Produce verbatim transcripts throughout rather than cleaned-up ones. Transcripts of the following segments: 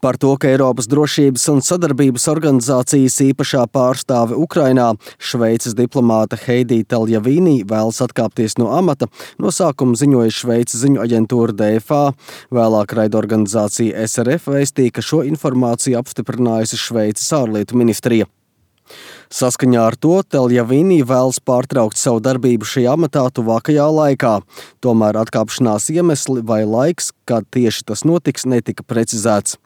Par to, ka Eiropas drošības un sadarbības organizācijas īpašā pārstāve Ukrainā, Šveices diplomāte Heidi Taljavīnī vēlas atkāpties no amata, no sākuma ziņoja Šveices ziņu aģentūra D F A. Vēlāk raidorganizācija S R F vēstīja, ka šo informāciju apstiprinājusi Šveices ārlietu ministrija. Saskaņā ar to Taljavīnī vēlas pārtraukt savu darbību šajā amatā tuvākajā laikā. Tomēr atkāpšanās iemesli vai laiks, kad tieši tas notiks, netika precizēts.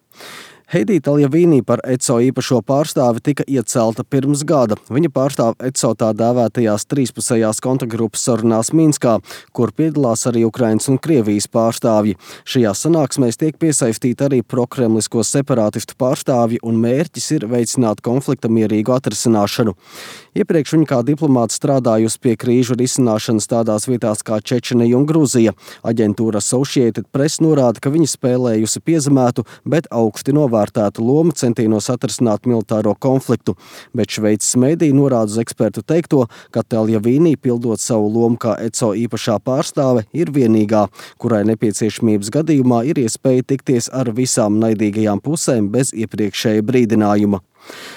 Heidi Taljavīnī par E C O īpašo pārstāvi tika iecelta pirms gada. Viņa pārstāv E C O tā dēvētajās trīspusējās kontaktgrupas sarunās Minskā, kur piedalās arī Ukrainas un Krievijas pārstāvji. Šajā sanāksmēs tiek piesaistīti arī prokremlisko separātistu pārstāvji, un mērķis ir veicināt konflikta mierīgu atrisināšanu. Iepriekš viņa kā diplomāte strādājusi pie krīžu risināšanas tādās vietās kā Čečenija un Gruzija. Aģentūra Associated Press norāda, ka viņa spēlējusi piezemētu, bet augsti novērtētu lomu centienos atrisināt militāro konfliktu. Bet Šveices mediji norāda uz ekspertu teikto, ka Taljavīnī, pildot savu lomu kā E C O īpašā pārstāve, ir vienīgā, kurai nepieciešamības gadījumā ir iespēja tikties ar visām naidīgajām pusēm bez iepriekšēja brīdinājuma.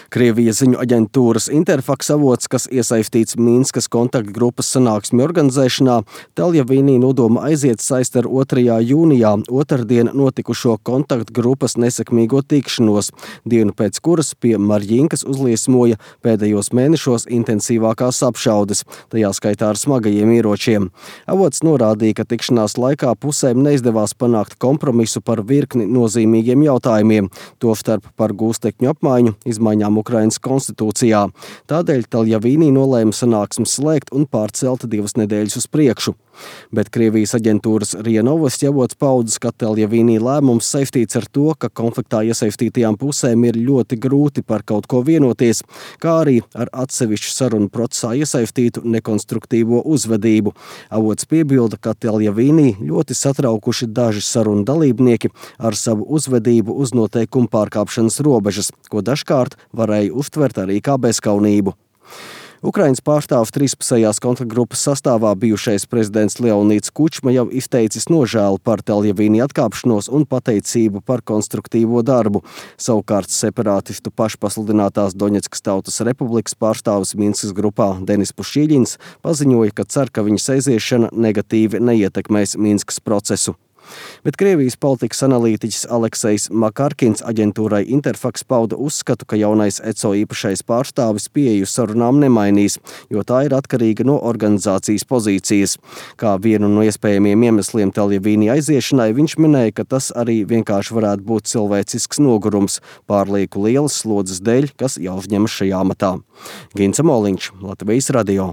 Krievijas ziņu aģentūras Interfax avots, kas iesaistīts Minskas kontaktgrupas sanāksmi organizēšanā, Taljavīnī nodoma aiziet saist ar otrajā jūnijā otrdien notikušo kontaktgrupas nesekmīgo tikšanos, dienu pēc kuras pie Marjinkas uzliesmoja pēdējos mēnešos intensīvākās apšaudes, tajā skaitā ar smagajiem ieročiem. Avots norādīja, ka tikšanās laikā pusēm neizdevās panākt kompromisu par virkni nozīmīgiem jautājumiem, tostarp par gūstekņu apmaiņu, izmaiņām Ukrainas konstitūcijā. Tādēļ Taljavīnī nolēma sanāksmi slēgt un pārcelt divas nedēļas uz priekšu. Bet Krievijas aģentūras RIA Novosti avots paudzes, ka Taljavīnī lēmums saistīts ar to, ka konfliktā iesaistītajām pusēm ir ļoti grūti par kaut ko vienoties, kā arī ar atsevišķu sarunu procesā iesaistītu nekonstruktīvo uzvedību. Avots piebilda, ka Taljavīnī ļoti satraukuši daži sarunu dalībnieki ar savu uzvedību uz noteikumu pārkāpšanas robežas, ko dažkārt varēja uztvert arī kā bezkaunību. Ukrainas pārstāvs trīspusējās kontaktgrupas sastāvā bijušais prezidents Leonīds Kučma jau izteicis nožēlu par Taljavīnī atkāpšanos un pateicību par konstruktīvo darbu. Savukārt separātistu pašpasludinātās Doņetskas Tautas Republikas pārstāvis Minskas grupā Denis Pušīļins paziņoja, ka cer, ka viņas aiziešana negatīvi neietekmēs Minskas procesu. Bet Krievijas politikas analītiķis Aleksejs Makarkins aģentūrai Interfax pauda uzskatu, ka jaunais E C O īpašais pārstāvis pieeju sarunām nemainīs, jo tā ir atkarīga no organizācijas pozīcijas. Kā vienu no iespējamiem iemesliem Taljavīnī aiziešanai viņš minēja, ka tas arī vienkārši varētu būt cilvēcisks nogurums, pārlieku lielas slodzes dēļ, kas jāuzņemas šajā amatā. Gints Moliņš, Latvijas radio.